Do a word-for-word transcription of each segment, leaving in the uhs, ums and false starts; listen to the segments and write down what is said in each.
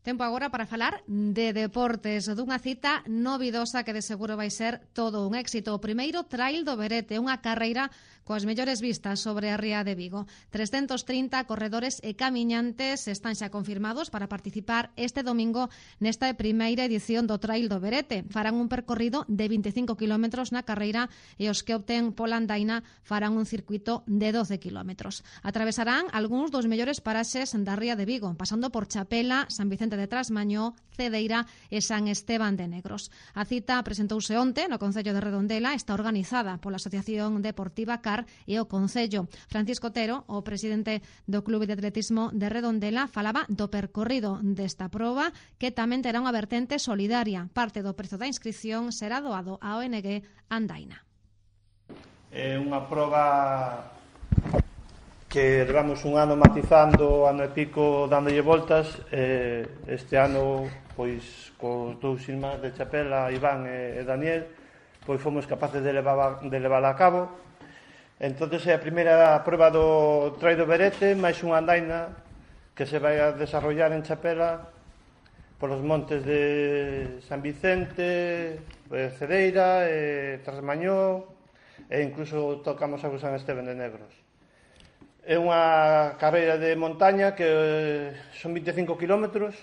Tempo agora para falar de deportes, dunha cita novidosa que de seguro vai ser todo un éxito. O primeiro Trail do Berete, unha carreira coas mellores vistas sobre a ría de Vigo. trescentos trinta corredores e camiñantes están xa confirmados para participar este domingo nesta primeira edición do Trail do Berete. Farán un percorrido de vinte e cinco kilómetros na carreira e os que opten pola andaina farán un circuito de doce kilómetros. Atravesarán algúns dos mellores paraxes da ría de Vigo, pasando por Chapela, San Vicente de Trasmañó, Cedeira e San Esteban de Negros. A cita presentouse onte no Concello de Redondela, está organizada pola Asociación Deportiva C A R e o Concello. Francisco Otero, o presidente do Clube de Atletismo de Redondela, falaba do percorrido desta proba, que tamén terá unha vertente solidaria. Parte do prezo da inscripción será doado á O N G Andaina. É unha proba que levamos un ano matizando, ano e pico dándolle voltas. eh, este ano, pois, cos dous irmáns de Chapela, Iván e, e Daniel, pois fomos capaces de levar, de levarla a cabo. Entonces é a primeira proba do Trail do Berete, máis unha andaina que se vai a desarrollar en Chapela polos montes de San Vicente, Cedeira, e Trasmañó, e incluso tocamos a San Esteban de Negros. É unha carreira de montaña que son vinte e cinco kilómetros,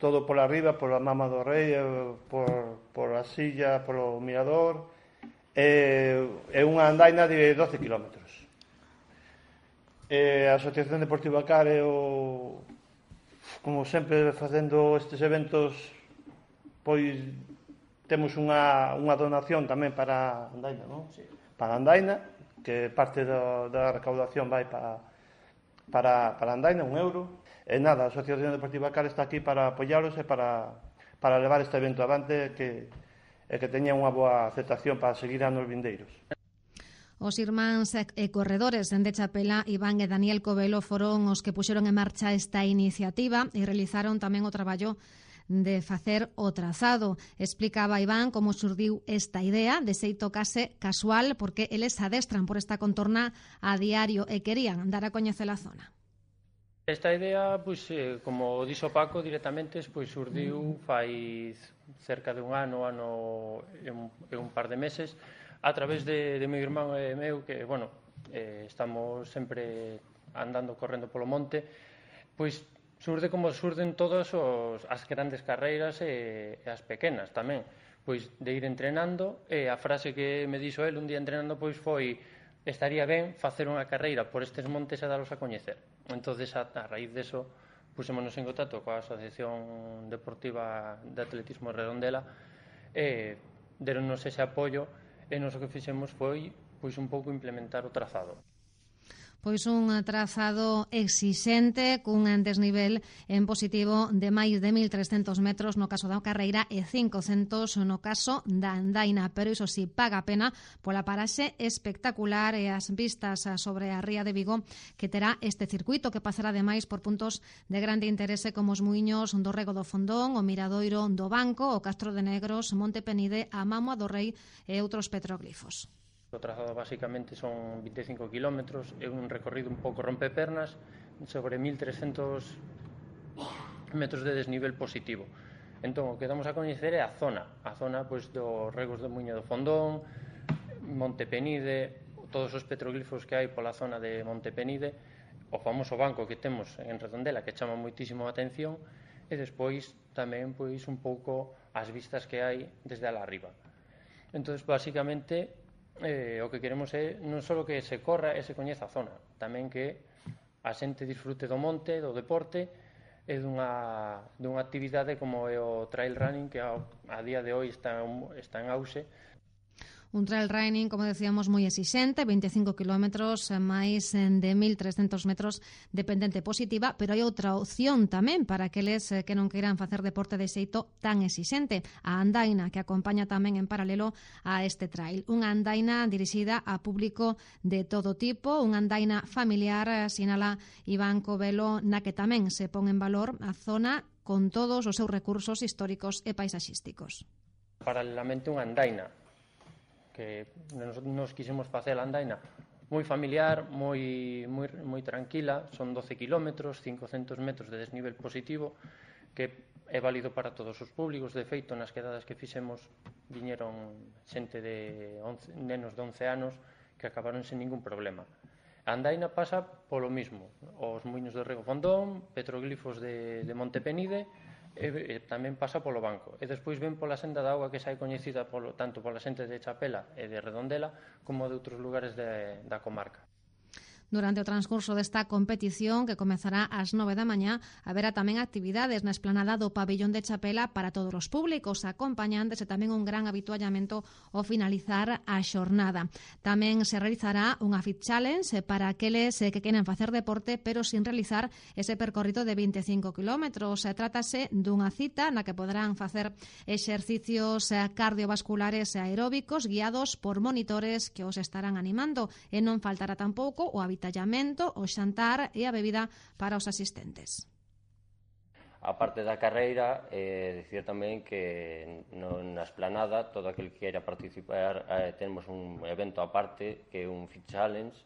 todo pola arriba, pola Mama do Rei, por, por a Silla, polo Mirador. É, é unha andaina de doce kilómetros. E a Asociación Deportiva C A R é o, como sempre facendo estes eventos, pois temos unha, unha donación tamén para a andaina, non? Sí. Para a andaina, que parte do, da recaudación vai para, para, para a andaina, un euro. E nada, a Asociación Deportiva C A R está aquí para apoiaros e para, para levar este evento avante, que, e que teña unha boa aceptación para seguir anos vindeiros. Os irmáns e corredores de Chapela, Iván e Daniel Covelo, foron os que puxeron en marcha esta iniciativa e realizaron tamén o traballo de facer o trazado. Explicaba Iván como surdiu esta idea, de xeito case casual, porque eles adestran por esta contorna a diario e querían dar a coñecer a zona. Esta idea, pois, eh, como dixo Paco, directamente pois, surdiu fai cerca de un ano, ano e un, e un par de meses, a través de, de meu irmán e meu, que, bueno, eh, estamos sempre andando, correndo polo monte, pois, surde como surden todas os, as grandes carreiras e, e as pequenas tamén, pois de ir entrenando. E a frase que me dixo el un día entrenando pois foi: estaría ben facer unha carreira por estes montes e dalos a coñecer. Entonces, a, a raíz deso, pusémonos en contacto coa Asociación Deportiva de Atletismo Redondela e deronnos ese apoio, e nos o que fixemos foi pois un pouco implementar o trazado. Pois un trazado exixente cun desnivel en positivo de máis de mil trescentos metros no caso da carreira e cincocentos no caso da andaina, pero iso si paga a pena pola paraxe espectacular e as vistas sobre a ría de Vigo que terá este circuito, que pasará ademais por puntos de grande interese como os muiños do Rego do Fondón, o Miradoiro do Banco, o Castro de Negros, Monte Penide, a Mámoa do Rei e outros petroglifos. O trazado basicamente son vinte e cinco kilómetros, é un recorrido un pouco rompepernas sobre mil trescentos metros de desnivel positivo. Entón, o que damos a coñecer é a zona, a zona pois, dos regos do Muiño do Fondón, Monte Penide, todos os petroglifos que hai pola zona de Monte Penide, o famoso banco que temos en Redondela que chama moitísimo a atención, e despois tamén pois, un pouco as vistas que hai desde alá arriba. Entón, basicamente, Eh, o que queremos é non só que se corra e se coñeza a zona, tamén que a xente disfrute do monte, do deporte e dunha, dunha actividade como é o trail running, que a, a día de hoy está, está en auxe. Un trail running, como decíamos, moi exixente, vinte e cinco kilómetros, máis de mil trescentos metros de pendente positiva, pero hai outra opción tamén para aqueles que non queiran facer deporte de xeito tan exixente, a andaina, que acompaña tamén en paralelo a este trail. Unha andaina dirixida a público de todo tipo, unha andaina familiar, sinala Iván Covelo, na que tamén se pon en valor a zona con todos os seus recursos históricos e paisaxísticos. Paralelamente unha andaina, que nos, nos quisemos facer a andaina moi familiar, moi, moi, moi tranquila, son doce kilómetros, cincocentos metros de desnivel positivo, que é válido para todos os públicos. De feito, nas quedadas que fixemos viñeron xente de once, nenos de once anos que acabaron sen ningún problema. A andaina pasa polo mismo, os muiños de Rego Fondón, petroglifos de, de Montepenide, e, e tamén pasa polo banco. E despois ven pola senda da auga que xa é coñecida polo, tanto pola xente de Chapela e de Redondela como de outros lugares de, da comarca. Durante o transcurso desta competición, que comezará ás nove da mañá, haberá tamén actividades na esplanada do pabillón de Chapela para todos os públicos, acompañantes e tamén un gran habituallamento ao finalizar a xornada. Tamén se realizará unha Fit Challenge para aqueles que queren facer deporte, pero sin realizar ese percorrido de veinticinco kilómetros. Trátase dunha cita na que poderán facer exercicios cardiovasculares e aeróbicos guiados por monitores que os estarán animando, e non faltará tampouco o habitual tallamento, o xantar e a bebida para os asistentes. A parte da carreira, eh, dicir tamén que no, na esplanada, todo aquel que queira participar, eh, temos un evento aparte, que é un Fit Challenge,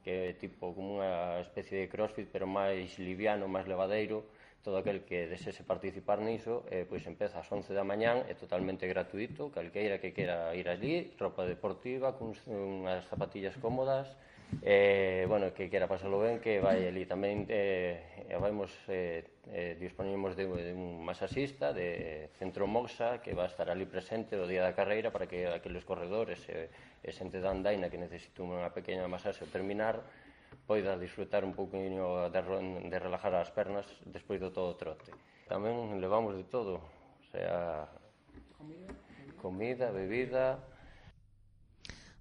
que é tipo como unha especie de crossfit, pero máis liviano, máis levadeiro. Todo aquel que desese participar niso, eh, pois empeza ás once da mañán, é totalmente gratuito, calqueira que quera ir allí, roupa deportiva, con unhas zapatillas cómodas, Eh, bueno, que quera pasalo ben, que vai ali tamén eh, vamos, eh, eh, disponimos de, de un masaxista de Centro Moxa que va a estar ali presente o día da carreira para que aqueles corredores e, e xente da andaina que necesita unha pequena masaxe ao terminar poida disfrutar un pouquinho de, de relajar as pernas despois do todo o trote. Tamén levamos de todo, o sea, comida, bebida.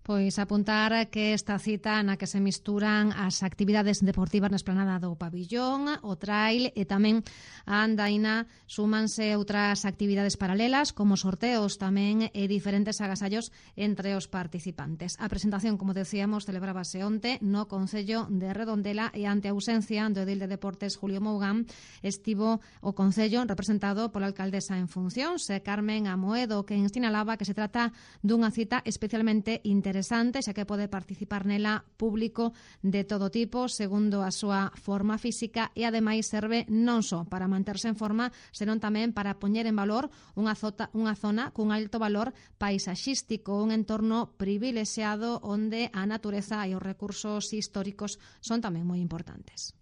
Pois apuntar que esta cita na que se misturan as actividades deportivas na esplanada do pabillón, o trail e tamén a andaina, súmanse outras actividades paralelas como sorteos tamén e diferentes agasallos entre os participantes. A presentación, como decíamos, celebrábase onte no Concello de Redondela e ante a ausencia do edil de Deportes Julio Mougán estivo o Concello representado pola alcaldesa en funcións, Carmen Amoedo, que sinalaba que se trata dunha cita especialmente interesante interesante, xa que pode participar nela público de todo tipo, segundo a súa forma física, e ademais serve non só para manterse en forma, senón tamén para poñer en valor unha, zota, unha zona cun alto valor paisaxístico, un entorno privilexiado onde a natureza e os recursos históricos son tamén moi importantes.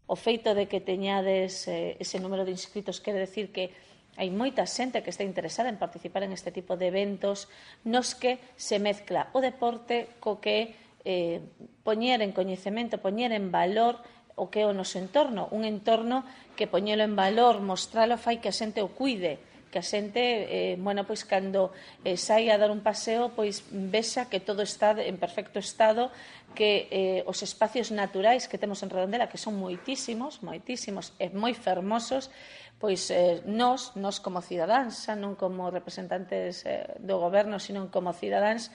O feito de que teñades eh, ese número de inscritos quere decir que hai moita xente que está interesada en participar en este tipo de eventos nos que se mezcla o deporte co que eh, poñer en coñecemento, poñer en valor o que é o noso entorno, un entorno que poñelo en valor, mostralo, fai que a xente o cuide, que a xente, eh, bueno, pois cando eh, sai a dar un paseo, pois vexa que todo está en perfecto estado, que eh, os espacios naturais que temos en Redondela, que son moitísimos, moitísimos e moi fermosos, pois eh, nós, nós como cidadáns, xa non como representantes eh, do goberno, sino como cidadáns,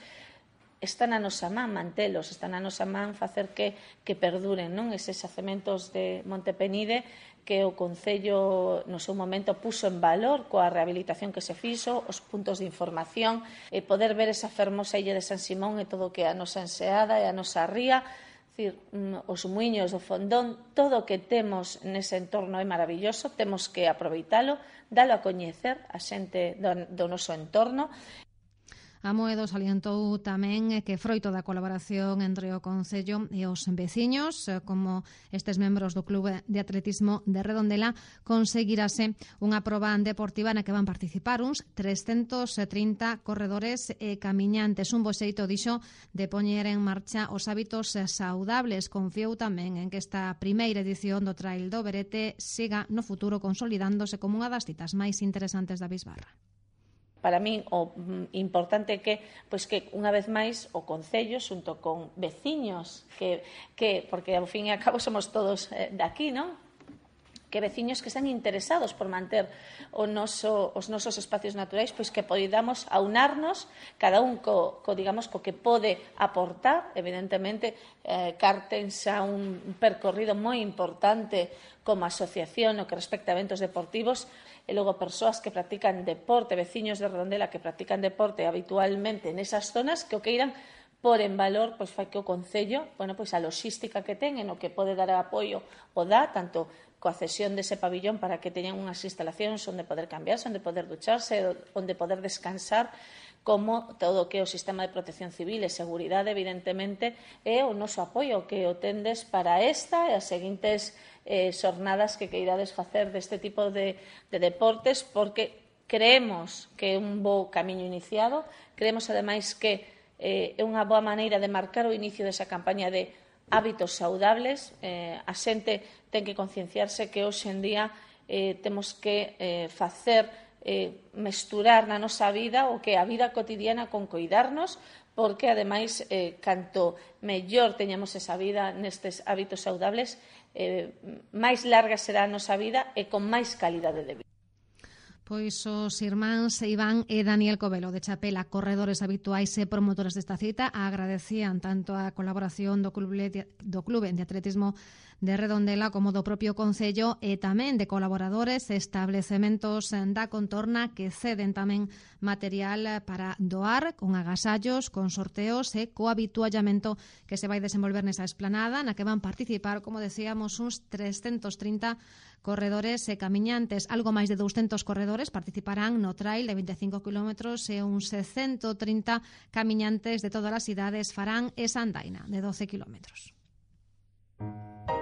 están a nosa man mantelos, están a nosa man facer que, que perduren, non? Eses xacementos de Montepenide que o Concello no seu momento puso en valor coa rehabilitación que se fixo, os puntos de información, e poder ver esa fermosa illa de San Simón e todo o que é a nosa enseada e a nosa ría, decir, os muiños do Fondón, todo o que temos nese entorno é maravilloso, temos que aproveitalo, dalo a coñecer a xente do, do noso entorno. Amoedo salientou tamén que froito da colaboración entre o Concello e os veciños, como estes membros do Club de Atletismo de Redondela, conseguirase unha proba deportiva na que van participar uns trescentos trinta corredores e camiñantes. Un bo xeito, dixo, de poñer en marcha os hábitos saudables. Confiou tamén en que esta primeira edición do Trail do Berete siga no futuro consolidándose como unha das citas máis interesantes da Bisbarra. Para min o importante é que, pois que unha vez máis o Concello xunto con veciños que, que porque ao fin e ao cabo somos todos eh, daqui, non? Que veciños que están interesados por manter o noso, os nosos espacios naturais, pois que podamos aunarnos cada un co, co digamos co que pode aportar, evidentemente eh, Cartens a un percorrido moi importante como asociación no que respecta a eventos deportivos, e logo persoas que practican deporte, veciños de Redondela que practican deporte habitualmente nesas zonas que o queiran por en valor, pois fai que o Concello, bueno, pois a logística que ten en o que pode dar apoio o dá, tanto coa cesión dese pabillón para que teñan unhas instalacións onde poder cambiarse, onde poder ducharse, onde poder descansar, como todo o que é o sistema de protección civil e seguridade, evidentemente, é o noso apoio que o tendes para esta e as seguintes eh, xornadas que queirades facer deste tipo de, de deportes, porque creemos que é un bo camiño iniciado, creemos, ademais, que eh, é unha boa maneira de marcar o inicio desa campaña de hábitos saudables. Eh, a xente ten que concienciarse que hoxe en día eh, temos que eh, facer eh, mesturar na nosa vida o que é a vida cotidiana con coidarnos, porque, ademais, eh, canto mellor teñamos esa vida nestes hábitos saudables, eh, máis larga será a nosa vida e con máis calidade de vida. Pois os irmáns Iván e Daniel Covelo de Chapela, corredores habituais e promotores desta cita, agradecían tanto a colaboración do Clube de, do Clube de Atletismo de Redondela como do propio Concello e tamén de colaboradores e establecementos da contorna que ceden tamén material para doar con agasallos, con sorteos e co habituallamento que se vai desenvolver nesa esplanada na que van participar, como decíamos, uns trescentos trinta corredores e camiñantes. Algo máis de douscentos corredores participarán no trail de veinticinco kilómetros e uns ciento trinta camiñantes de todas as idades farán esa andaina de doce kilómetros.